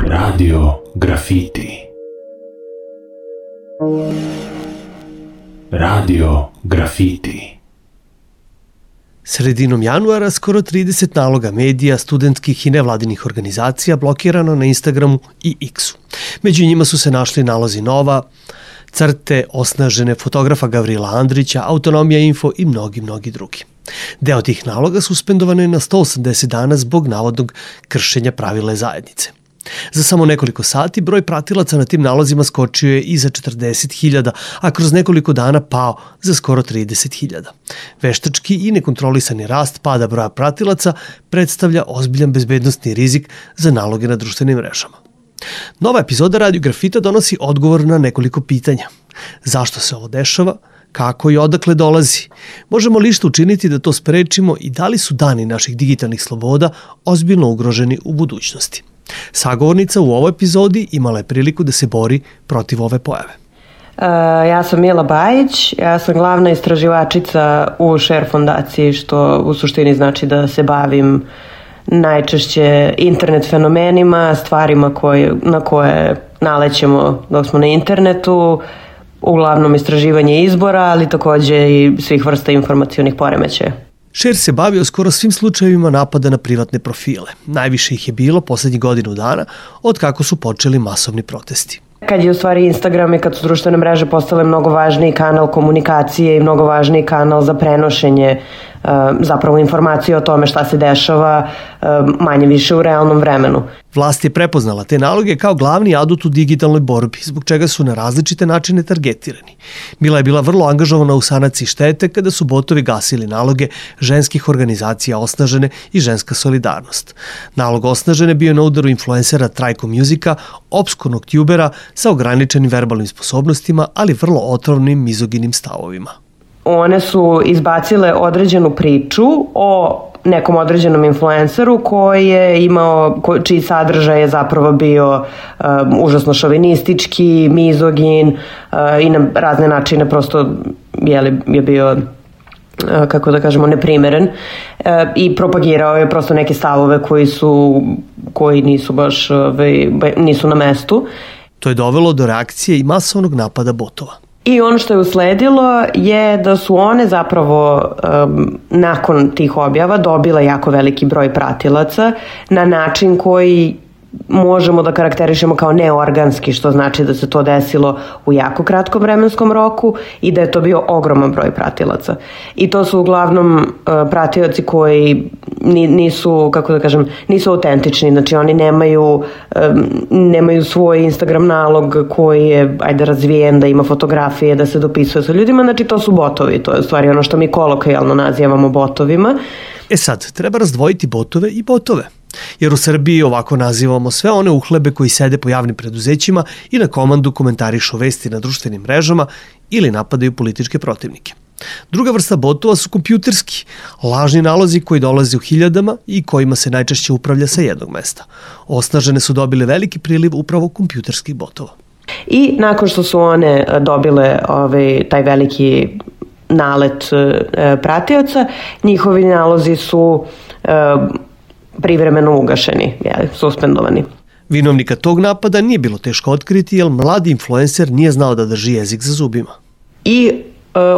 Radio Grafiti. Radio Grafiti. Sredinom januara skoro 30 naloga medija, studentskih i nevladinih organizacija blokirano na Instagramu i X-u. Među njima su se našli nalozi Nova, Crte, Osnažene, fotografa Gavrila Andrića, Autonomija Info i mnogi drugi. Deo tih naloga suspendovan je na 180 dana zbog navodnog kršenja pravila zajednice. Za samo nekoliko sati broj pratilaca na tim nalozima skočio je i za 40.000, a kroz nekoliko dana pao za skoro 30.000. Veštački i nekontrolisani rast pada broja pratilaca predstavlja ozbiljan bezbednosni rizik za naloge na društvenim mrežama. Nova epizoda Radio Grafita donosi odgovor na nekoliko pitanja. Zašto se ovo dešava? Kako i odakle dolazi? Možemo li što učiniti da to sprečimo i da li su dani naših digitalnih sloboda ozbiljno ugroženi u budućnosti? Sagovornica u ovoj epizodi imala je priliku da se bori protiv ove pojave. Ja sam Mila Bajić, ja sam glavna istraživačica u Share fondaciji, što u suštini znači da se bavim najčešće internet fenomenima, stvarima na koje nalećemo dok smo na internetu, uglavnom istraživanje izbora, ali takođe i svih vrsta informacionih poremećaja. Share se bavio skoro svim slučajevima napada na privatne profile. Najviše ih je bilo poslednjih godinu dana od kako su počeli masovni protesti. Kad je u stvari Instagram i kad su društvene mreže postale mnogo važniji kanal komunikacije i mnogo važniji kanal za prenošenje zapravo informacije o tome šta se dešava manje više u realnom vremenu. Vlast je prepoznala te naloge kao glavni adut u digitalnoj borbi, zbog čega su na različite načine targetirani. Mila je bila vrlo angažovana u sanaciji štete kada su botovi gasili naloge ženskih organizacija Osnažene i Ženska solidarnost. Nalog Osnažene bio je na udaru influencera Trajko Musika, opskurnog tubera sa ograničenim verbalnim sposobnostima, ali vrlo otrovnim mizoginim stavovima. One su izbacile određenu priču o nekom određenom influenceru koji je imao, čiji sadržaj je zapravo bio užasno šovinistički, mizogin i na razne načine prosto je bio, kako da kažemo, neprimeren i propagirao je prosto neke stavove koji nisu baš nisu na mestu. To je dovelo do reakcije i masovnog napada botova. I ono što je usledilo je da su one zapravo nakon tih objava dobile jako veliki broj pratilaca na način koji možemo da karakterišemo kao neorganski, što znači da se to desilo u jako kratkom vremenskom roku i da je to bio ogroman broj pratilaca. I to su uglavnom pratioci koji nisu, kako da kažem, nisu autentični, znači oni nemaju svoj Instagram nalog koji je razvijen, da ima fotografije, da se dopisuje sa ljudima, znači to su botovi, to je u stvari ono što mi kolokvijalno nazivamo botovima. Sad, treba razdvojiti botove i botove. Jer u Srbiji ovako nazivamo sve one uhlebe koji sede po javnim preduzećima i na komandu komentarišu vesti na društvenim mrežama ili napadaju političke protivnike. Druga vrsta botova su kompjuterski, lažni nalozi koji dolaze u hiljadama i kojima se najčešće upravlja sa jednog mesta. Osnažene su dobile veliki priliv upravo kompjuterskih botova. I nakon što su one dobile taj veliki nalet pratioca, njihovi nalozi su privremeno ugašeni, suspendovani. Vinovnika tog napada nije bilo teško otkriti, jer mladi influencer nije znao da drži jezik za zubima. I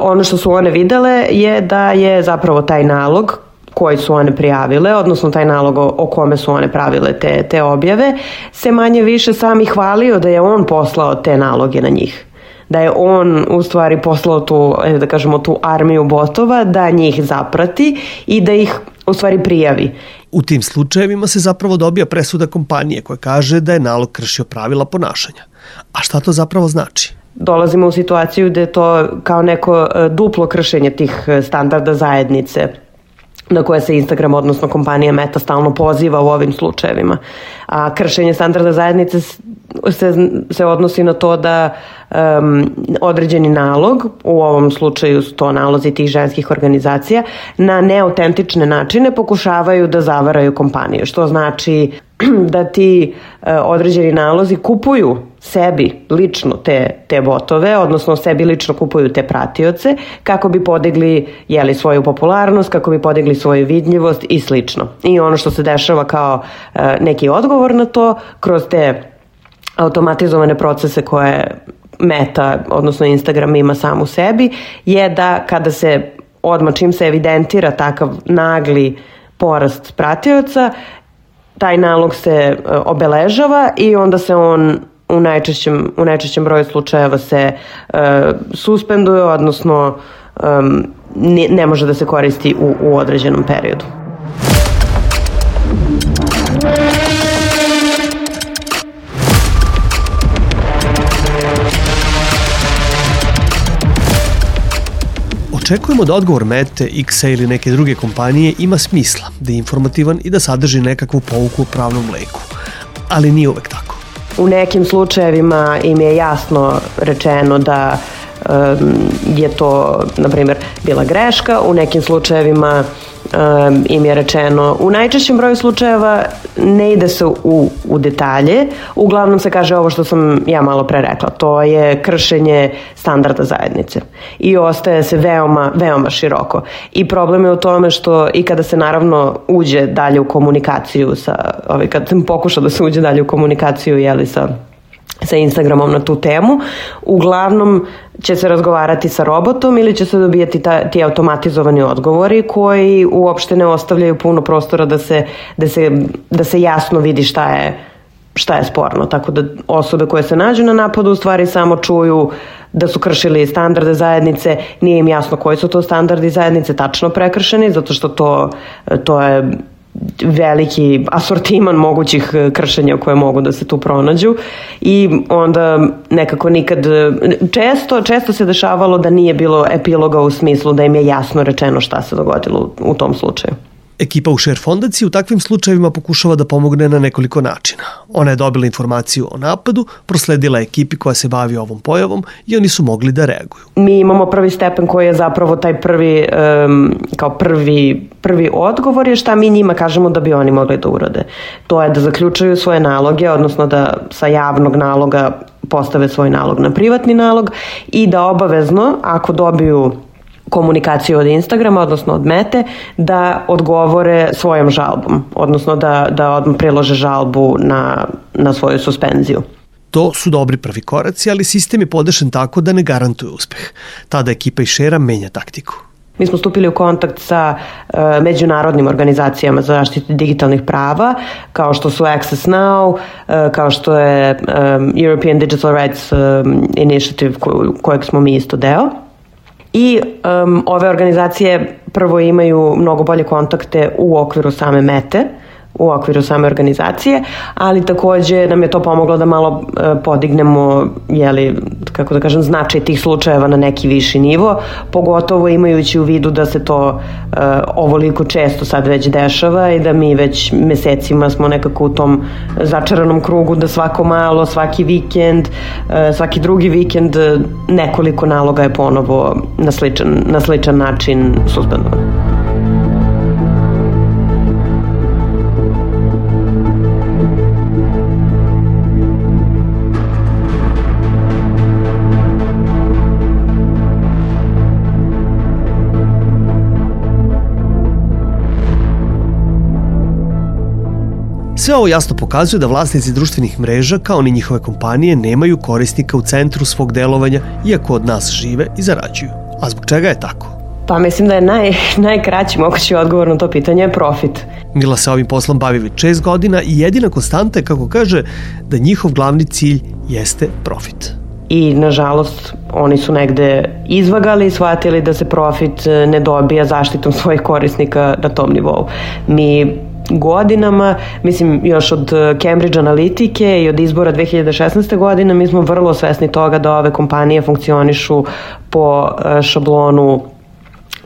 ono što su one videle je da je zapravo taj nalog koji su one prijavile, odnosno taj nalog o kome su one pravile te objave, se manje više sami hvalio da je on poslao te naloge na njih. Da je on u stvari poslao tu armiju botova da njih zaprati i da ih u stvari prijavi. U tim slučajevima se zapravo dobija presuda kompanije koja kaže da je nalog kršio pravila ponašanja. A šta to zapravo znači? Dolazimo u situaciju da je to kao neko duplo kršenje tih standarda zajednice na koje se Instagram, odnosno kompanija Meta, stalno poziva u ovim slučajevima. A kršenje standarda zajednice se odnosi na to da određeni nalog, u ovom slučaju su to nalozi tih ženskih organizacija, na neautentične načine pokušavaju da zavaraju kompaniju, što znači da ti određeni nalozi kupuju sebi lično te botove, odnosno sebi lično kupuju te pratioce kako bi podigli svoju popularnost, kako bi podigli svoju vidljivost i slično. I ono što se dešava kao neki odgovor na to kroz te automatizovane procese koje Meta, odnosno Instagram ima sam u sebi, je da kada se odmah čim se evidentira takav nagli porast pratioca, taj nalog se obeležava i onda se on u najčešćem broju slučajeva se suspenduje, odnosno ne može da se koristi u određenom periodu. Očekujemo da odgovor Mete, X-a ili neke druge kompanije ima smisla, da je informativan i da sadrži nekakvu pouku o pravnom leku. Ali nije uvek tako. U nekim slučajevima im je jasno rečeno da je to, na primjer, bila greška, u nekim slučajevima im je rečeno, u najčešćem broju slučajeva ne ide se u detalje, uglavnom se kaže ovo što sam ja malo pre rekla, to je kršenje standarda zajednice i ostaje se veoma, veoma široko. I problem je u tome što i kada se naravno uđe dalje u komunikaciju kad sam pokušao da se uđe dalje u komunikaciju sa Instagramom na tu temu, uglavnom će se razgovarati sa robotom ili će se dobijati ti automatizovani odgovori koji uopšte ne ostavljaju puno prostora da se jasno vidi šta je sporno. Tako da osobe koje se nađu na napadu u stvari samo čuju da su kršili standarde zajednice, nije im jasno koji su to standardi zajednice tačno prekršeni, zato što to je veliki asortiman mogućih kršenja koje mogu da se tu pronađu i onda nekako često se dešavalo da nije bilo epiloga u smislu da im je jasno rečeno šta se dogodilo u tom slučaju. Ekipa u Share fondaciji u takvim slučajevima pokušava da pomogne na nekoliko načina. Ona je dobila informaciju o napadu, prosledila ekipi koja se bavi ovom pojavom i oni su mogli da reaguju. Mi imamo prvi stepen koji je zapravo taj prvi odgovor je šta mi njima kažemo da bi oni mogli da urade. To je da zaključuju svoje naloge, odnosno da sa javnog naloga postave svoj nalog na privatni nalog i da obavezno, ako dobiju komunikaciju od Instagrama, odnosno od Mete, da odgovore svojom žalbom, odnosno da odmah prilože žalbu na svoju suspenziju. To su dobri prvi koraci, ali sistem je podešen tako da ne garantuje uspeh. Tada ekipa iz Share-a menja taktiku. Mi smo stupili u kontakt sa međunarodnim organizacijama za zaštitu digitalnih prava, kao što su Access Now, kao što je European Digital Rights Initiative kojeg smo mi isto deo. I ove organizacije prvo imaju mnogo bolje kontakte u okviru same Mete, u okviru same organizacije, ali takođe nam je to pomoglo da malo podignemo, značaj tih slučajeva na neki viši nivo, pogotovo imajući u vidu da se to ovoliko često sad već dešava i da mi već mesecima smo nekako u tom začaranom krugu da svako malo, svaki vikend, svaki drugi vikend nekoliko naloga je ponovo na sličan način suspendovan. Sve ovo jasno pokazuje da vlasnici društvenih mreža, kao ni njihove kompanije, nemaju korisnika u centru svog delovanja, iako od nas žive i zarađuju. A zbog čega je tako? Pa mislim da je najkraći mogući odgovor na to pitanje je profit. Mila se ovim poslom bavi već 6 godina i jedina konstanta je, kako kaže, da njihov glavni cilj jeste profit. I, nažalost, oni su negde izvagali i shvatili da se profit ne dobija zaštitom svojih korisnika na tom nivou. Mi godinama, mislim još od Cambridge Analitike i od izbora 2016. godine, mi smo vrlo svesni toga da ove kompanije funkcionišu po šablonu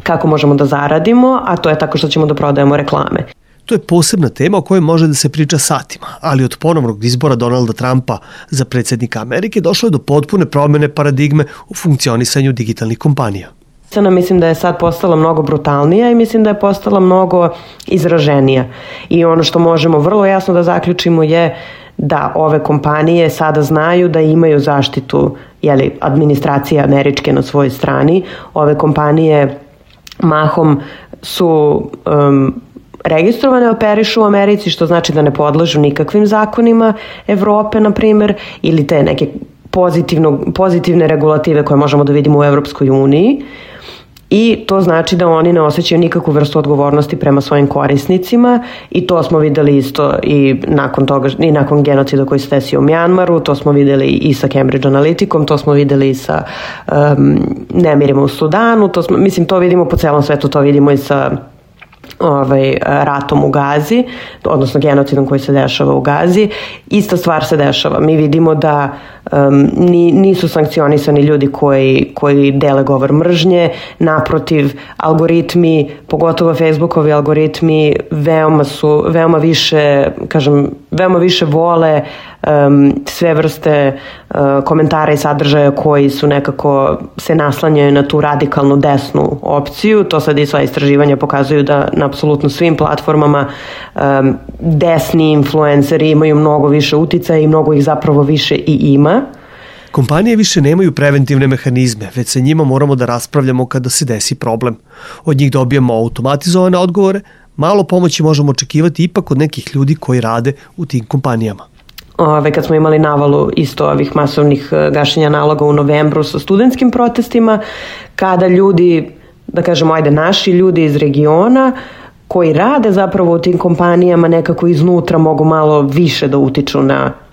kako možemo da zaradimo, a to je tako što ćemo da prodajemo reklame. To je posebna tema o kojoj može da se priča satima, ali od ponovnog izbora Donalda Trumpa za predsjednika Amerike došlo je do potpune promjene paradigme u funkcionisanju digitalnih kompanija. Mislim da je sad postala mnogo brutalnija i mislim da je postala mnogo izraženija. I ono što možemo vrlo jasno da zaključimo je da ove kompanije sada znaju da imaju zaštitu administracije američke na svojoj strani. Ove kompanije mahom su registrovane, operišu u Americi, što znači da ne podležu nikakvim zakonima Evrope, na primjer, ili te neke pozitivne regulative koje možemo da vidimo u Evropskoj uniji. I to znači da oni ne osjećaju nikakvu vrstu odgovornosti prema svojim korisnicima i to smo videli isto i nakon toga, i nakon genocida koji se desio u Mjanmaru, to smo videli i sa Cambridge Analyticom, to smo videli i sa nemirima u Sudanu, to vidimo po celom svetu, to vidimo i sa ratom u Gazi, odnosno genocidom koji se dešava u Gazi. Ista stvar se dešava. Mi vidimo da nisu sankcionisani ljudi koji dele govor mržnje, naprotiv, algoritmi, pogotovo Facebookovi algoritmi, veoma više vole sve vrste komentara i sadržaja koji su nekako se naslanjaju na tu radikalnu desnu opciju. To sad i sva istraživanja pokazuju da na apsolutno svim platformama desni influenceri imaju mnogo više uticaja i mnogo ih zapravo više i ima. Kompanije više nemaju preventivne mehanizme, već sa njima moramo da raspravljamo kada se desi problem. Od njih dobijamo automatizovane odgovore, malo pomoći možemo očekivati ipak od nekih ljudi koji rade u tim kompanijama. Kad smo imali navalu isto ovih masovnih gašenja naloga u novembru sa studentskim protestima, kada ljudi, da kažemo, naši ljudi iz regiona koji rade zapravo u tim kompanijama nekako iznutra mogu malo više da utiču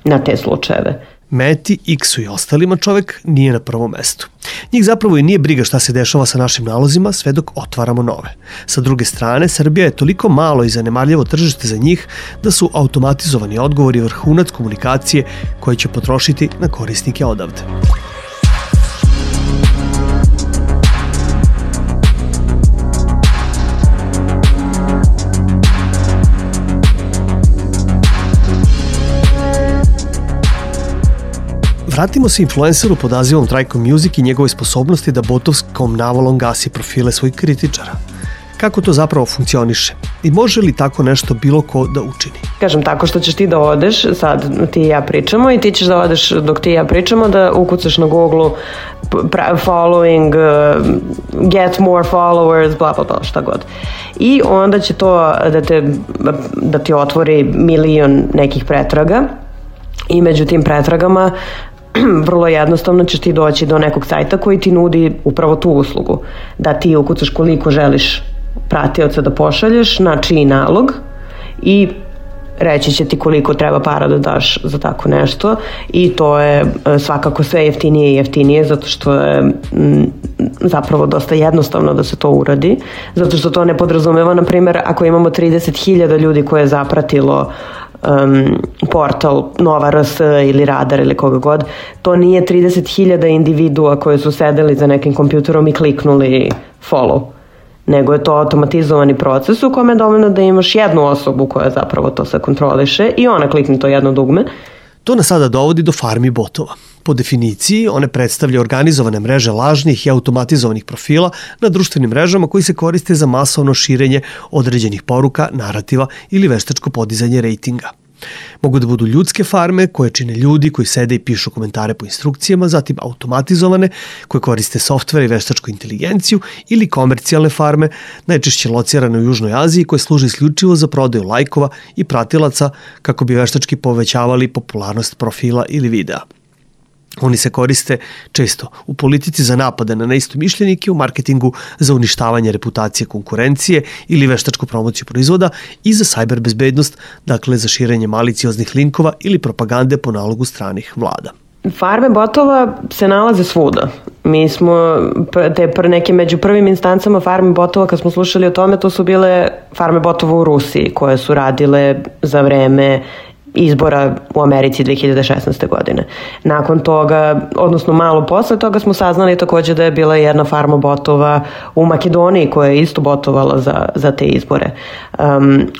na te slučajeve. Meti, X-u i ostalima čovek nije na prvom mestu. Njih zapravo i nije briga šta se dešava sa našim nalozima sve dok otvaramo nove. Sa druge strane, Srbija je toliko malo i zanemarljivo tržište za njih da su automatizovani odgovori vrhunac komunikacije koje će potrošiti na korisnike odavde. Vratimo se influenceru pod nazivom Trajko Music i njegove sposobnosti da botovskom navalom gasi profile svojih kritičara. Kako to zapravo funkcioniše? I može li tako nešto bilo ko da učini? Kažem, tako što ćeš ti da odeš, sad ti i ja pričamo i ti ćeš da odeš dok ti i ja pričamo, da ukucaš na Google following, get more followers, bla bla bla, šta god. I onda će to da ti otvori milion nekih pretraga i među tim pretragama vrlo jednostavno ćeš ti doći do nekog sajta koji ti nudi upravo tu uslugu. Da ti ukucaš koliko želiš pratioca da pošalješ, na čiji nalog i reći će ti koliko treba para da daš za tako nešto i to je svakako sve jeftinije i jeftinije zato što je zapravo dosta jednostavno da se to uradi, zato što to ne podrazumeva, na primjer, ako imamo 30.000 ljudi koje je zapratilo portal Nova RS ili Radar ili koga god, to nije 30.000 individua koji su sedeli za nekim kompjuterom i kliknuli follow, nego je to automatizovani proces u kome je dovoljno da imaš jednu osobu koja zapravo to sve kontroliše i ona klikne to jedno dugme. To nas sada dovodi do farmi botova. Po definiciji, one predstavljaju organizovane mreže lažnih i automatizovanih profila na društvenim mrežama koji se koriste za masovno širenje određenih poruka, narativa ili veštačko podizanje rejtinga. Mogu da budu ljudske farme koje čine ljudi koji sede i pišu komentare po instrukcijama, zatim automatizovane koje koriste softvere i veštačku inteligenciju ili komercijalne farme, najčešće locirane u Južnoj Aziji koje služe isključivo za prodaju lajkova i pratilaca kako bi veštački povećavali popularnost profila ili videa. Oni se koriste često u politici za napade na neistomišljenike, u marketingu za uništavanje reputacije konkurencije ili veštačku promociju proizvoda i za sajber bezbednost, dakle za širenje malicioznih linkova ili propagande po nalogu stranih vlada. Farme botova se nalaze svuda. Mi smo neke među prvim instancama farme botova, kad smo slušali o tome, to su bile farme botova u Rusiji koje su radile za vreme izbora u Americi 2016. godine. Nakon toga, odnosno malo posle toga smo saznali takođe da je bila jedna farma botova u Makedoniji koja je isto botovala za te izbore.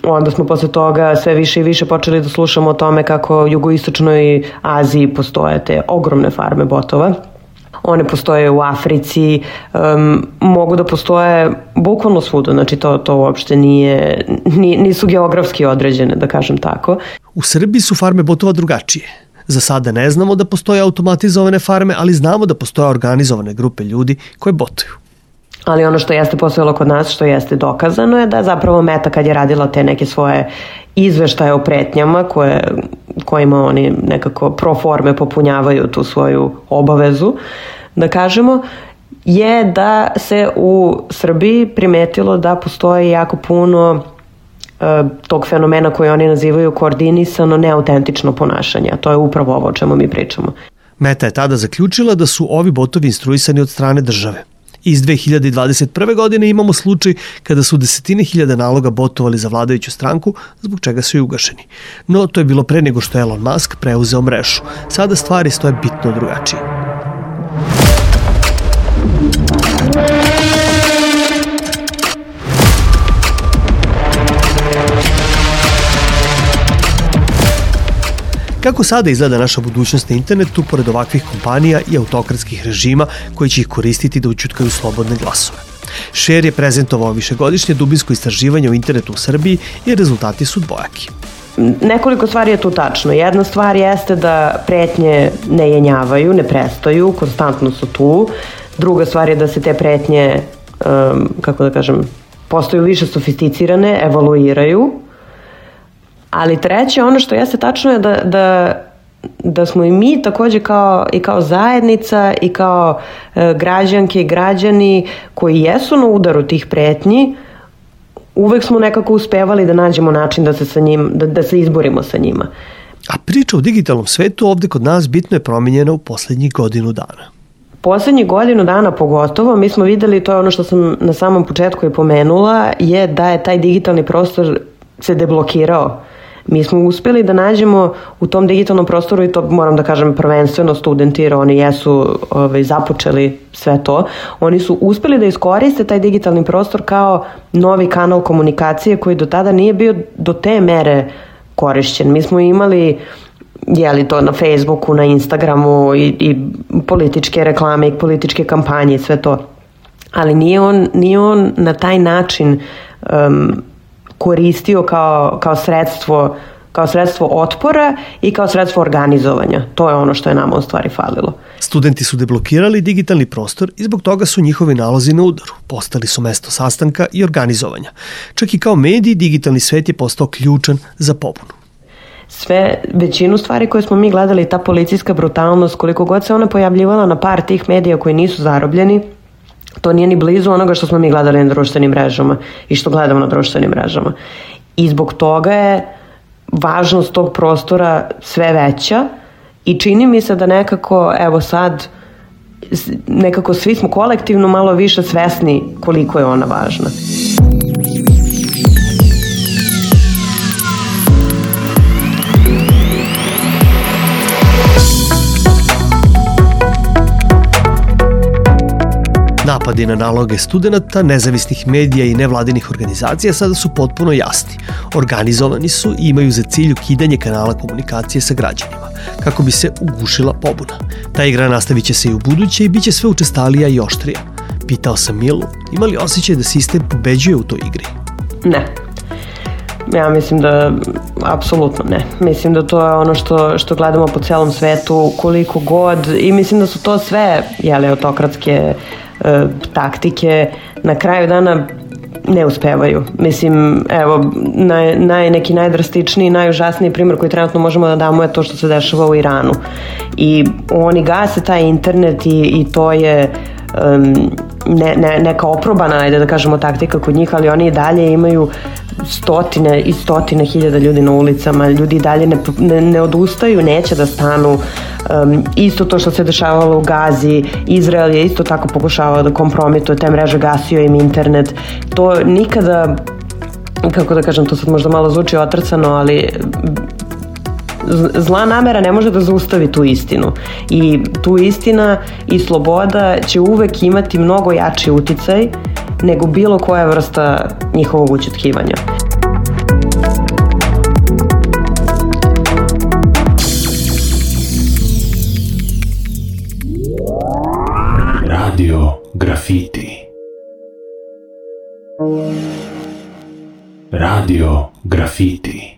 Onda smo posle toga sve više i više počeli da slušamo o tome kako u jugoistočnoj Aziji postoje te ogromne farme botova. One postoje u Africi, mogu da postoje bukvalno svuda, znači to uopšte nisu geografski određene, da kažem tako. U Srbiji su farme botova drugačije. Za sada ne znamo da postoje automatizovane farme, ali znamo da postoje organizovane grupe ljudi koje botuju. Ali ono što jeste postojalo kod nas, što jeste dokazano je da zapravo Meta kad je radila te neke svoje izveštaje o pretnjama kojima oni nekako pro forme popunjavaju tu svoju obavezu, da kažemo, je da se u Srbiji primetilo da postoji jako puno tog fenomena koji oni nazivaju koordinisano neautentično ponašanje, a to je upravo ovo o čemu mi pričamo. Meta je tada zaključila da su ovi botovi instruisani od strane države. Iz 2021. godine imamo slučaj kada su desetine hiljada naloga botovali za vladajuću stranku, zbog čega su i ugašeni. No, to je bilo pre nego što je Elon Musk preuzeo mrežu. Sada stvari stoje bitno drugačije. Kako sada izgleda naša budućnost na internetu pored ovakvih kompanija i autokratskih režima koji će ih koristiti da ućutkaju slobodne glasove? Share je prezentovao višegodišnje dubinsko istraživanje o internetu u Srbiji i rezultati su dvojaki. Nekoliko stvari je tu tačno. Jedna stvar jeste da pretnje ne jenjavaju, ne prestaju, konstantno su tu. Druga stvar je da se te pretnje, postaju više sofisticirane, evoluiraju. Ali treće, ono što jeste tačno je da smo i mi takođe kao zajednica i kao građanke i građani koji jesu na udaru tih pretnji, uvek smo nekako uspevali da nađemo način da se izborimo sa njima. A priča o digitalnom svetu ovde kod nas bitno je promenjena u poslednjih godinu dana. Poslednjih godinu dana pogotovo, mi smo videli, to je ono što sam na samom početku i pomenula, je da je taj digitalni prostor se deblokirao. Mi smo uspeli da nađemo u tom digitalnom prostoru, i to moram da kažem prvenstveno studenti, jer oni jesu započeli sve to, oni su uspeli da iskoriste taj digitalni prostor kao novi kanal komunikacije koji do tada nije bio do te mere korišćen. Mi smo imali to na Facebooku, na Instagramu i političke reklame i političke kampanje i sve to. Ali nije on na taj način koristio kao sredstvo otpora i kao sredstvo organizovanja. To je ono što je nama u stvari falilo. Studenti su deblokirali digitalni prostor i zbog toga su njihovi nalozi na udaru. Postali su mesto sastanka i organizovanja. Čak i kao mediji, digitalni svet je postao ključan za pobunu. Većinu stvari koje smo mi gledali, ta policijska brutalnost, koliko god se ona pojavljivala na par tih medija koji nisu zarobljeni, to nije ni blizu onoga što smo mi gledali na društvenim mrežama i što gledamo na društvenim mrežama. I zbog toga je važnost tog prostora sve veća i čini mi se da nekako svi smo kolektivno malo više svesni koliko je ona važna. Napadi na naloge studenta, nezavisnih medija i nevladinih organizacija sada su potpuno jasni. Organizovani su i imaju za cilj ukidanje kanala komunikacije sa građanima, kako bi se ugušila pobuna. Ta igra nastavit će se i u buduće i bit će sve učestalija i oštrija. Pitao sam Milu, ima li osjećaj da sistem pobeđuje u toj igri? Ne. Ja mislim da apsolutno ne. Mislim da to je ono što gledamo po celom svetu, koliko god, i mislim da su to sve autokratske taktike na kraju dana ne uspevaju. Mislim, evo, neki najdrastičniji, najužasniji primjer koji trenutno možemo da damo je to što se dešava u Iranu. I oni gase taj internet i to je neka oprobana, ajde da kažemo, taktika kod njih, ali oni i dalje imaju stotine i stotine hiljada ljudi na ulicama, ljudi i dalje ne odustaju, neće da stanu. Isto to što se dešavalo u Gazi, Izrael je isto tako pokušavao da kompromituje te mreže, gasio im internet. To nikada, kako da kažem, to sad možda malo zvuči otrcano, ali zla namera ne može da zaustavi tu istinu. I tu istina i sloboda će uvek imati mnogo jači uticaj nego bilo koja vrsta njihovog ućutkivanja. Radio Graffiti. Radio Graffiti.